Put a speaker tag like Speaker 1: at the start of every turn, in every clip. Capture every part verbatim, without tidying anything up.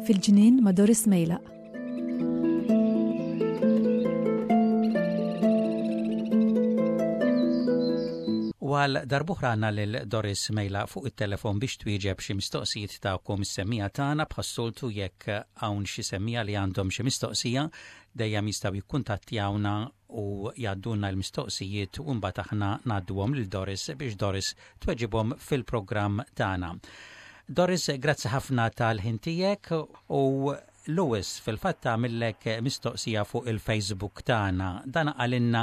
Speaker 1: Fil-ġnien ma' Doris Mejlaq.
Speaker 2: U għal darb'oħra għandna lil Doris Mejlaq fuq it-telefon biex twieġeb xi mistoqsijiet tagħkom is-semmiegħa tagħna. Bħas-soltu, jekk hawn xi semmiegħa li għandhom xi mistoqsija, dejjem jistgħu jikkuntattjawna u jgħaddulna l-mistoqsijiet u mbagħad aħna ngħadduhom lil Doris biex Doris tweġibhom fil-programm tagħna. Doris, grazzi ħafna tal-ħin tiegħek u Lewis fil-fatt għamillek mistoqsija fuq il-Facebook tagħna. Dan qalilna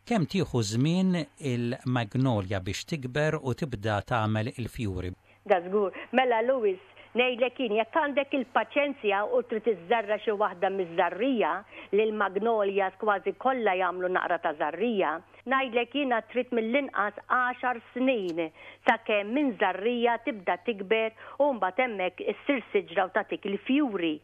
Speaker 2: kemm tieħu żmien il-magnolia biex tikber u tibda tagħmel il-fjuri.
Speaker 3: Da żgur. Mela Lewis, ngħidlek jien, jekk għandek il-paċenzja u trid iżżerra xi waħda miż-żarrija, li l-magnolias kważi kollha jagħmlu naqra ta' żarrija, ngħidlek jiena trid mill-inqas għaxar snin sakemm minn żarrija tibda tikber u mbagħad hemmhekk issir siġra u tagħtik il-fjuri.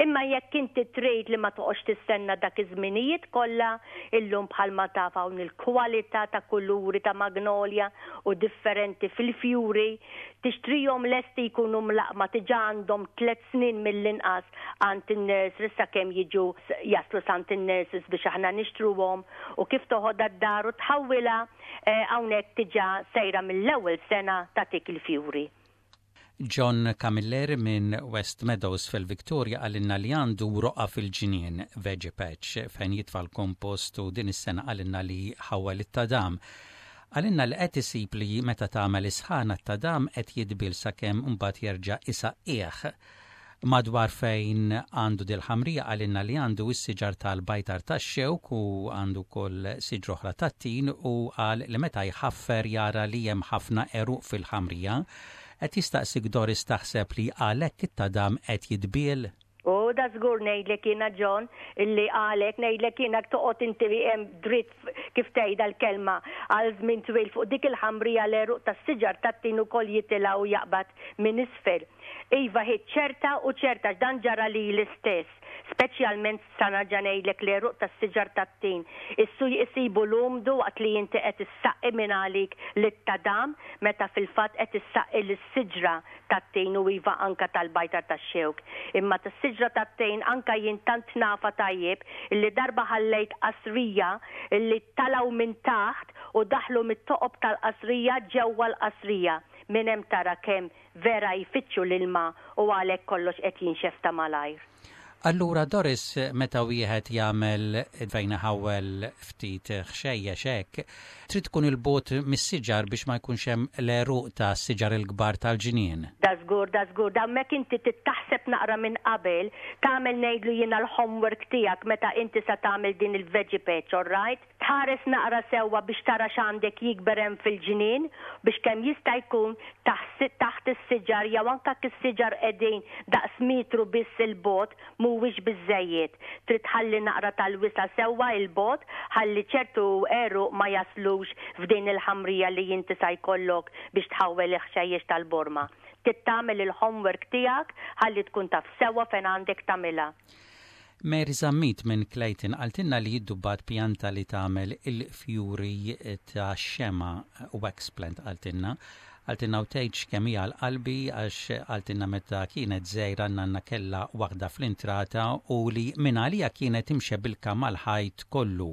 Speaker 3: Imma jekk inti trid li ma toqgħodx tistenna dak iż-żminijiet kollha, illum bħalma taf hawn il-kwalità ta' kuluri ta' magnolia u differenti fil-fjuri, tixtrihom lesti jkunu mlaqma diġà għandhom tliet snin mill-inqas għand in-nurseries sakemm jiġu jaslu s'għand in-nurseries biex aħna nixtruhom, u kif toħodha d-dar u tħawwilha, hawnhekk diġà sejra mill-ewwel sena tagħtik il-fjuri.
Speaker 2: John Camilleri minn West Meadows fil-Victoria qalilna li għandu roqgħa fil-ġnien, veggie patch, fejn jitfa' l-kompost, u din is-sena qalilna li ħawwel it-tadam. Qalilna li qed isib li meta tagħmel isħana t-tadam qed jidbil sakemm mbagħad jerġa' isaqqih. Madwar fejn għandu dil-ħamrija qalilna li għandu s-siġar tal-bajtar tax-xewk u għandu wkoll siġra oħra tat-tin u qal li meta jħaffer jara li hemm ħafna għeruq fil-ħamrija. Qed jistaqsik, Doris, taħseb li għalhekk it-tadam qed jidbiel?
Speaker 3: U da żgur, ngħidlek jiena, John, illi għalek ngħidlek jiena toqgħod inti hemm dritt, kif tgħidha l-kelma, għal żmien twil fuq dik il-ħamrija, l-għeruq tas-siġar tat-tin ukoll jitilgħu jaqbad minn isfel. Iva, hi ċerta u ċerta, dan ġara li l-istess, speċjalment sana ġa ngħidlek l-għeruq tas-siġar tat-tin. Issu jisibu l-umdu waqt li inti qed issaqqi minn għalik lit-tadam meta fil-fatt qed issaqqi lis-siġra tat-tin u iva anka tal-bajtar tax-xewk. Imma tas-siġra tat-tin anka jien tant nafa tajjeb illi darba ħallejt qasrija illi talaw minn taħt u daħlu mit-toqob tal-qasrija ġewwa l-qasrija. Minn hemm tara kemm vera jfittxu l-ilma u għalhekk kollox qed jinxef ta' malajr.
Speaker 2: Allura Doris, meta wieħed jagħmel fejn ħawel ftit ħxejjex hekk, trid tkun il-bogħod mis-siġar biex ma jkunx hemm l-għeruq ta' siġar il-kbar tal-ġnien.
Speaker 3: Da żgur, da żgur, da mek inti taħseb naqra minn qabel, tagħmel, ngħidlu jiena, l-homework tiegħek meta inti sa tagħmel din il-veggie patch, all right? Tħares naqra sewwa biex tara x'għandek jikber hemm fil-ġnien biex kemm jista' jkun taħt is-siġar jew anke is-siġar qegħdin daqs metru biss il-bogħod mhuwiex biżejjed. Trid tħalli naqra tal-wisa' sewwa il-bogħod ħalli ċertu għeruq ma jaslux f'din il-ħamrija li inti sa jkollok biex tħawwel il-ħxejjex tal-borma. Trid tagħmel il-homework tiegħek ħalli tkun taf sewwa fejn għandek tagħmilha.
Speaker 2: Mary Zammit minn Clayton qaltilna li ddubbat pjanta li tagħmel il-fjuri ta' xema, wax plant qaltilna. Qaltilna u tgħidx kemm hija l-qalbi għax qaltilna meta kienet żgħira nanna kellha waħda fl-intrata u li minn għalija kienet imxebilka mal-ħajt kollu.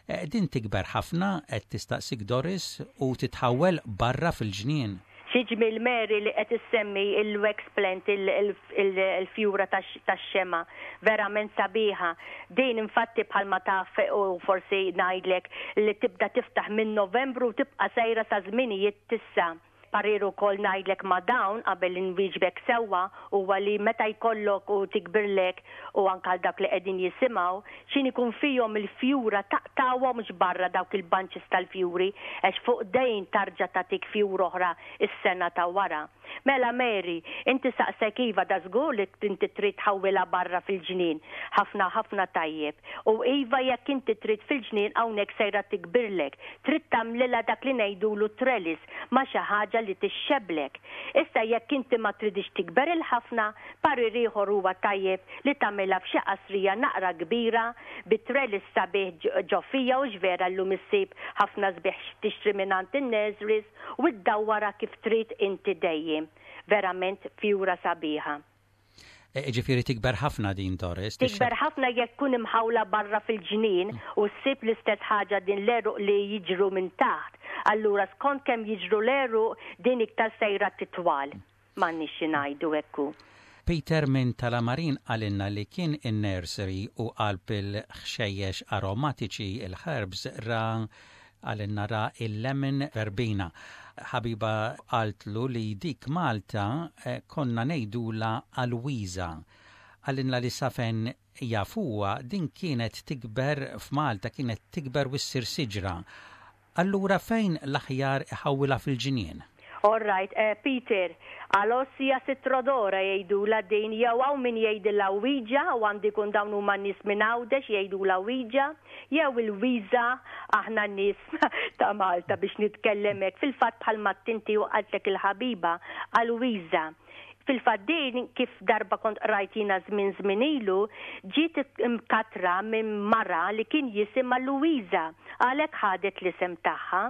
Speaker 2: Eh, din tikber ħafna, qed tistaqsik Doris, u titħawel barra fil-ġnien?
Speaker 3: Xi ġmiel, Mary, li qed issemmi il-wax plant, il-fjura tax-xema, verament sabiħa. Din infatti bħalma taf u forsi ngħidlek li tibda tiftaħ minn Novembru u tibqa' sejra sa żminijiet tissa. Parir ukoll ngħidlek ma' dawn qabel inwieġbek sewwa huwa li meta jkollok u tikbirlek, u anke għal dak li qegħdin jisimgħu, x'in ikun fihom il-fjura taqtawhomx barra dawk il-bunches tal-fjuri għax fuq dejn tarġa' tagħtik fjura oħra is-sena ta' wara. Mela Mary, inti saqsek, iva, da żgur li inti trid tħawwilha barra fil-ġnien. Ħafna ħafna tajjeb. U iva, jekk inti trid fil-ġnien hawnhekk sejra tikbirlek. Trid tagħmlilha dak li ngħidulu trellis ma' xi ħaġa li tixxeblek. Issa jekk inti ma tridix tikber il-ħafna, parir ieħor huwa tajjeb li tagħmilha f'xi qasrija naqra kbira bi trellis sabiħ ġo fiha, u x'vera llum issib ħafna sbieħ tixtri mingħand in-nurseries u ddawwara kif trid inti dejjem. Verament fjura sabiħa.
Speaker 2: E, ġifieri tikber ħafna din, Doris?
Speaker 3: Tikber ħafna jekk tkun imħawla barra fil-ġnien u ssib l-istess ħaġa din l-għeruq li jiġru minn taħt. Allura skont kemm jiġru l-għeruq din iktar sejra titwal. M'għandniex xi ngħidu ekku.
Speaker 2: Peter minn Talamarin qalilna li kien in-nursery u qalb il-ħxejjex aromatiċi, il-herbs, ra, qalilna ra il-lemon verbena. Ħabiba qaltlu li dik Malta eh, konna ngħidulha alwiża. Qalilna li safejn jafuha din kienet tikber f'Malta, kienet tikber u ssir siġra. Allura fejn l-aħjar iħawwilha fil-ġinien?
Speaker 3: All right, uh, Peter, Aloysia citrodora jgħidula din, jew hawn min jgħidilha wiġa, u għandi kun dawn huma nies minn Għawdex jgħidula wiġa, jew il-wiża aħna nies ta' Malta biex nitkellem hekk. Fil-fatt bħalma tinti u qaltlek il-ħabiba għal-wiża. Fil-fatt din, kif darba kont rajt jiena żmien żmien ilu, ġiet imkatra minn mara li kien jisimha Luisa, għalhekk ħadet l-isem tagħha.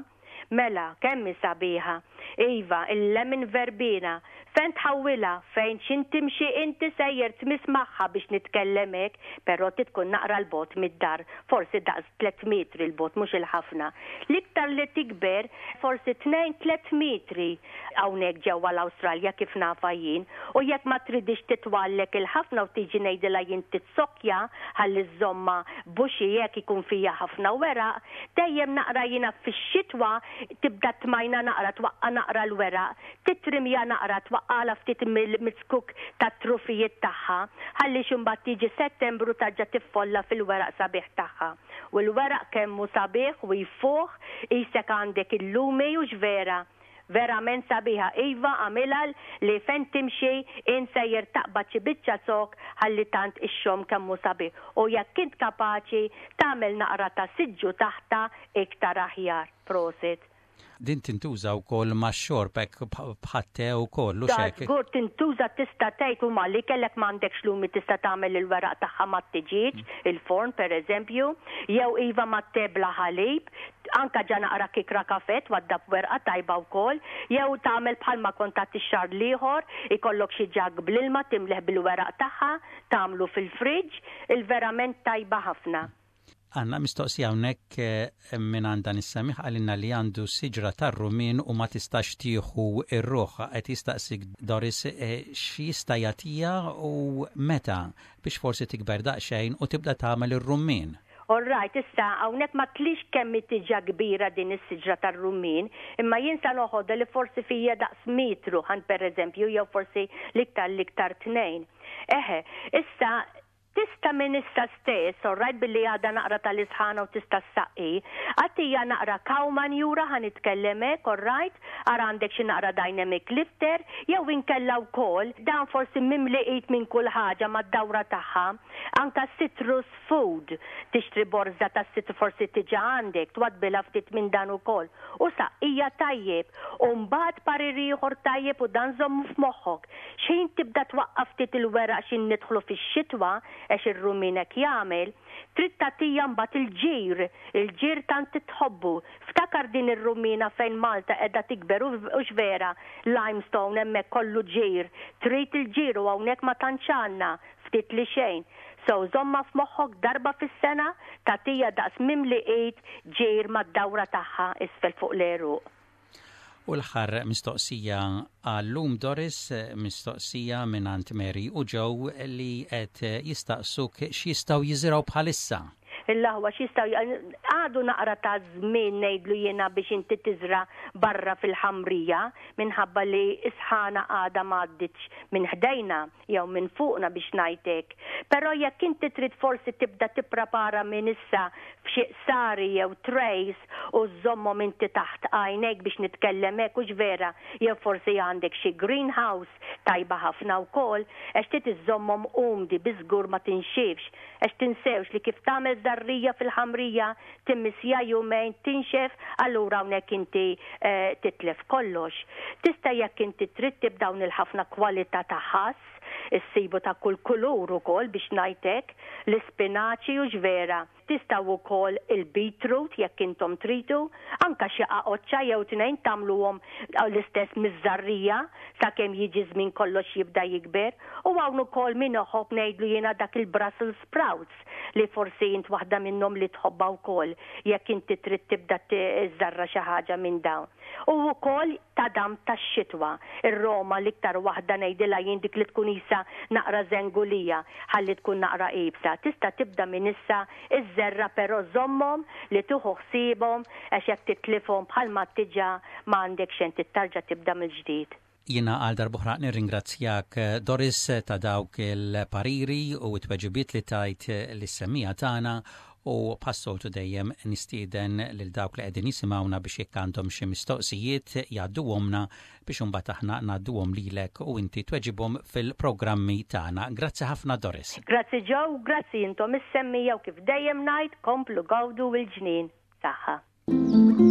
Speaker 3: Mela, kemm sabiħa. Iva, il-lemon verbena. Fejn tħawwilha, fejn xin timxi inti sejjer tmiss magħha biex nitkellem hekk, però tkun naqra 'l bogħod mid-dar, forsi daqs tliet metri 'l bogħod, mhux il-ħafna. L-iktar li tikber forsi tnejn tliet metri hawnhekk ġewwa l-Awstralja kif nafa jien, u jekk ma tridix titwallek il-ħafna u tiġi ngħidilha jien titsokja ħalli żżommha bushy jekk ikun fija ħafna weraq, dejjem naqra jiena fix-xitwa tibda tmajna naqra, twaqqa naqra l-weraq, titrimja naqra, twaqqala ftit mill-zkuk tat-trufijiet tagħha, ħalli x'imbagħad tiġi Settembru tarġa' tiffolla fil-weraq sabiħ tagħha. U l-weraq kemm hu sabiħ u jfuħ, qisek għandek il-lumi, u vera. Verament sabiħa, iva, għamilha li fejn timxi in sejjer taqbad xi biċċa zokk ħalli tant ixxomm kemm hu sabiħ. U jekk int kapaċi tagħmel naqra ta' siġġu taħta iktar aħjar. Prosit.
Speaker 2: Din tintuża wkoll max-xorb hekk bħat-te wkoll u
Speaker 3: Da
Speaker 2: xek.
Speaker 3: żgur tintuża, tista' tgħid huma li kellek m'għandekx lumi tista' tagħmel il-weraq tagħha mat-tiġieġ, il-forn pereżempju, jew iva mat-te bla ħalib, anka ġa naqra kikra kafe twaddab werqa tajba wkoll, jew tagħmel bħalma kont tagħti x-xahar l-ieħor, ikollok xi jug bl-ilma timleh bil-weraq tagħha, tagħmlu fil-fridge, il-verament tajba ħafna.
Speaker 2: Għandna mistoqsija hawnhekk eh, minn għand dan is-semmiegħ, qalilna li għandu siġra tar-rumin u ma tistax tieħu ir-ruħ. Qed jistaqsik, Doris, eh, x'jista' jagħtiha u meta biex forsi tikber daqsxejn u tibda tagħmel ir-rummin.
Speaker 3: All right, issa hawnhekk ma tlix kemm tiġa kbira din is-siġra tar-rummin, imma jien sa noħodha li forsi fija daqs metru ħan pereżempju, jew forsi l-iktar l-iktar tnejn. Eħe, issa tista' minn issa stess, all right, billi għadha naqra tal-isħana u tista' ssaqqi, agħtiha naqra cow manure ħa nitkellem hekk, all right, ara għandek xi naqra dynamic lifter, jew inkella wkoll dan forsi mimli qid minn kull ħaġa mad-dawra tagħha, anka citrus food, tixtri borza ta' citrus forsi tiġa għandek, twaddbilha ftit minn dan ukoll. U saqqija tajjeb, u mbagħad parir ieħor tajjeb u dan żommu f'moħħok. Xejn tibda twaqqaf ftit il-weraq xin nidħlu fix-xitwa, għax ir-rumin hekk jagħmel, trid tagħtiha mbagħad il-ġir, il-ġir tant tħobbu. Ftakar din ir-rumina fejn Malta qiegħda tikber u vera, limestone hemmhekk kollu ġir, trid il-ġir u hawnhekk ma tantx għandna, ftit li xejn. So żommha f'moħħok, darba fis-sena tagħtiha daqs mimli id ġir mad-dawra tagħha isfel fuq l-għeruq.
Speaker 2: U l-aħħar mistoqsija għallum, Doris, mistoqsija minn Mary u Joe li qed jistaqsuk x'jistgħu jiżirgħu bħalissa.
Speaker 3: Il-laħwa x'jistgħu għadu naqra ta' żmien, ngħidlu jiena, biex inti tiżra barra fil-ħamrija, minħabba li isħana għada m'għadditx minn ħdejna jew minn fuqna, biex ngħidlek. Però jekk inti trid forsi tibda tipprepara minn issa f'xi qsari jew trays u żommhom inti taħt għajnejk, biex nitkellem hekk, hux vera, jew forsi għandek xi greenhouse, tajba ħafna wkoll, għax trid iżommhom umdi biżgur ma tinxifx, għax tinsewx li kif tagħmel żerriegħa fil-ħamrija, timmissja jumejn, tinxef, allura hawnhekk inti eh, titlef kollox. Tista' jekk inti trid tibdawn il-ħafna kwalità ta' ħass, issibu ta' kull kulur ukoll, biex ngħidlek, l-ispinaċi, hux vera. Tistgħu wkoll il-beetroot jekk intom tridu, anka xi qaqoċċa jew tnejn tagħmluhom l-istess miż-żerriegħa sakemm jiġi żmien kollox jibda jikber. U hawn ukoll min iħobb, ngħidlu jiena, dak il-Brussels sprouts li forsi int waħda minnhom li tħobbha wkoll, jekk inti trid tibda tiżerra xi ħaġa minn dawn. U wkoll tadam tax-xitwa, ir-Roma l-iktar waħda, ngħidilha jien, dik li tkun isa naqra żengulija ħalli tkun naqra iebsa. Tista' tibda minn issa iżżerra, però żommhom li tieħu ħsiebhom, għax jekk titlifhom bħalma tiġa ma għandek xejn, tarġa' tibda mill-ġdid.
Speaker 2: Jiena għal darb'oħra nirringrazzjak, Doris, ta' dawk il-pariri u t-tweġibiet li tajt lis-semmiegħa tagħna, u bħas-soltu dejjem nistieden lil dawk li qegħdin jisimgħuna biex jekk għandhom xi mistoqsijiet jgħadduhomlna biex imbagħad aħna ngħadduhom lilek u inti tweġibhom fil-programmi tagħna. Grazzi ħafna, Doris.
Speaker 3: Grazzi Joe, grazzi intom is-semmiegħa, u kif dejjem ngħid, komplu gawdu il-ġnien. Saħħa.